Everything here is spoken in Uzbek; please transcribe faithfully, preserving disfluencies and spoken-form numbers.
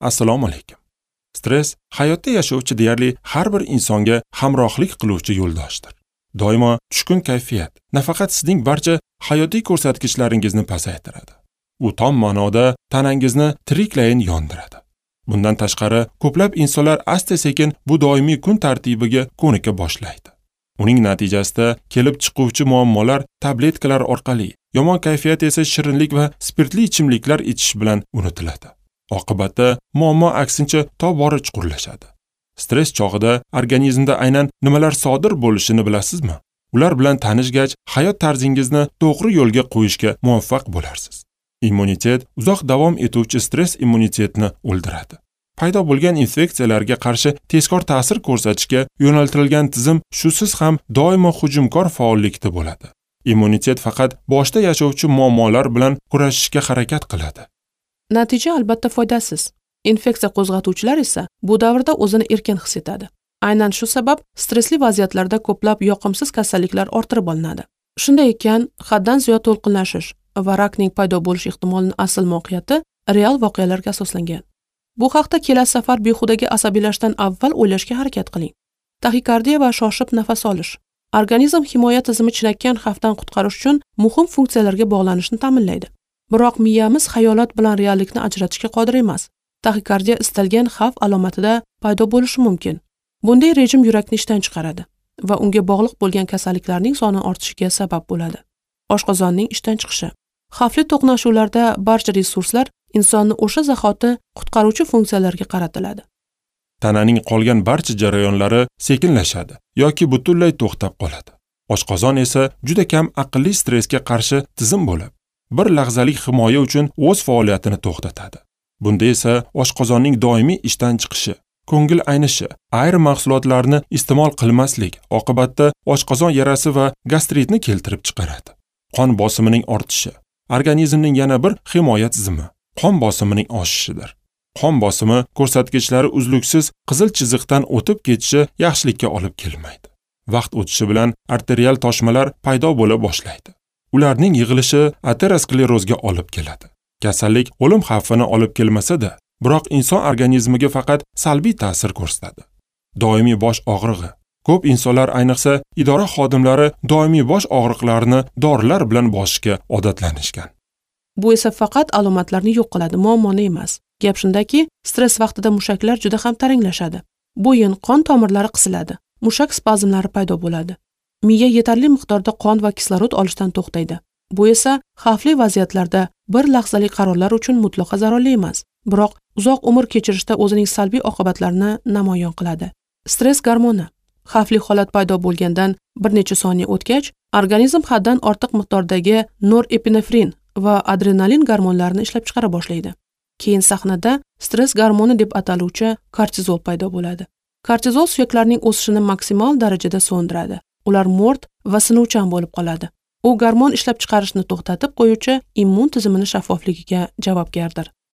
Assalomu alaykum. Stress hayotda yashovchi deyarli har bir insonga hamrohlik qiluvchi yo'ldoshdir. Doimo tushkun kayfiyat nafaqat sizning barcha hayotiy ko'rsatkichlaringizni pasaytiradi. U tom ma'noda tanangizni tiriklayin yondiradi. Bundan tashqari, ko'plab insonlar asta-sekin bu doimiy kun tartibiga ko'nika boshlaydi. Uning natijasida kelib chiquvchi muammolar tabletkalar orqali, yomon kayfiyat esa shirinlik va spirtli ichimliklar ichish bilan unutiladi. Oqibatda muammo aksincha tobora chuqurlashadi. Stress chog'ida organizmda aynan nimalar sodir bo'lishini bilasizmi? Ular bilan tanishgach, hayot tarzingizni to'g'ri yo'lga qo'yishga muvaffaq bo'larsiz. Immunitet uzoq davom etuvchi stress immunitetni o'ldiradi. Paydo bo'lgan infeksiyalarga qarshi tezkor ta'sir ko'rsatishga yo'naltirilgan tizim shusiz ham doimo hujumkor faollikda bo'ladi. Immunitet faqat boshda yashovchi muammolar bilan kurashishga harakat qiladi. Natija albatta foydasiz. Infeksiya qo'zg'atuvchilar esa bu davrda o'zini erkin his etadi. Aynan shu sabab stressli vaziyatlarda ko'plab yoqimsiz kasalliklar orttirib olinadi. Shunday ekan, haddan ziyod to'lqinlashish va rakning paydo bo'lish ehtimolining asl mohiyati real voqealarga asoslangan. Bu haqda kelasi safar behudaga asabiylashdan avval o'ylashga harakat qiling. Taxikardiya va shoshib nafas olish. Organizm himoya tizimi chinakkan xavfdan qutqarish uchun muhim funksiyalarga bog'lanishni ta'minlaydi. Biroq miyamiz xayolot bilan reallikni ajratishga qodir emas. Taxikardiya istalgan xavf alomatida paydo bo'lishi mumkin. Bunday rejim yurakni ishdan chiqaradi va unga bog'liq bo'lgan kasalliklarning soni ortishiga sabab bo'ladi. Oshqozonning ishdan chiqishi. Xavfli to'qnashuvlarda barcha resurslar insonni o'sha zahoti qutqaruvchi funksiyalarga qaratiladi. Tananing qolgan barcha jarayonlari sekinlashadi yoki butunlay to'xtab qoladi. Oshqozon esa juda kam aqlli stressga qarshi tizim bo'lib, bir lahzalik himoya uchun o'z faoliyatini to'xtatadi. Bunda esa oshqozonning doimiy ishdan chiqishi, ko'ngil aynishi, ayrim mahsulotlarni iste'mol qilmaslik oqibatda oshqozon yarasi va gastritni keltirib chiqaradi. Qon bosimining ortishi organizmning yana bir himoya tizimi, qon bosimining oshishidir. Qon bosimi ko'rsatkichlari uzluksiz qizil chiziqdan o'tib ketishi yaxshilikka olib kelmaydi. Vaqt o'tishi bilan arterial toshmalar paydo bo'la boshlaydi. Ularning yig'ilishi aterosklerozga olib keladi. Kasallik o'lim xavfini olib kelmasa-da, biroq inson organizmiga faqat salbiy ta'sir ko'rsatadi. Doimiy bosh og'rig'i. Ko'p insonlar, ayniqsa idora xodimlari doimiy bosh og'riqlarini dorilar bilan bosishga odatlanishgan. Bu esa faqat alomatlarni yo'q qiladi, muammoni emas. Gap shundaki, stress vaqtida mushaklar juda ham taranglashadi. Bo'yin, qon tomirlari qisiladi, mushak spazmlari paydo bo'ladi. Miya yetarli miqdorda qon va kislorod olishdan to'xtaydi. Bu esa xavfli vaziyatlarda bir lahzalik qarorlar uchun mutlaqo zararli emas, biroq uzoq umr kechirishda o'zining salbiy oqibatlarini namoyon qiladi. Stress gormoni. Xavfli holat paydo bo'lgandan bir necha soniya o'tgach, organizm haddan ortiq miqdordagi norepinefrin va adrenalin gormonlarini ishlab chiqara boshlaydi. Keyin sahnada stress gormoni deb ataluvchi kortizol paydo bo'ladi. Kortizol suyaklarning o'sishini maksimal darajada so'ndiradi. Ular mo'rt va sinuvchan bo'lib qoladi. U gormon ishlab chiqarishni to'xtatib qo'yuvchi immun tizimini shaffofligiga javobgardir.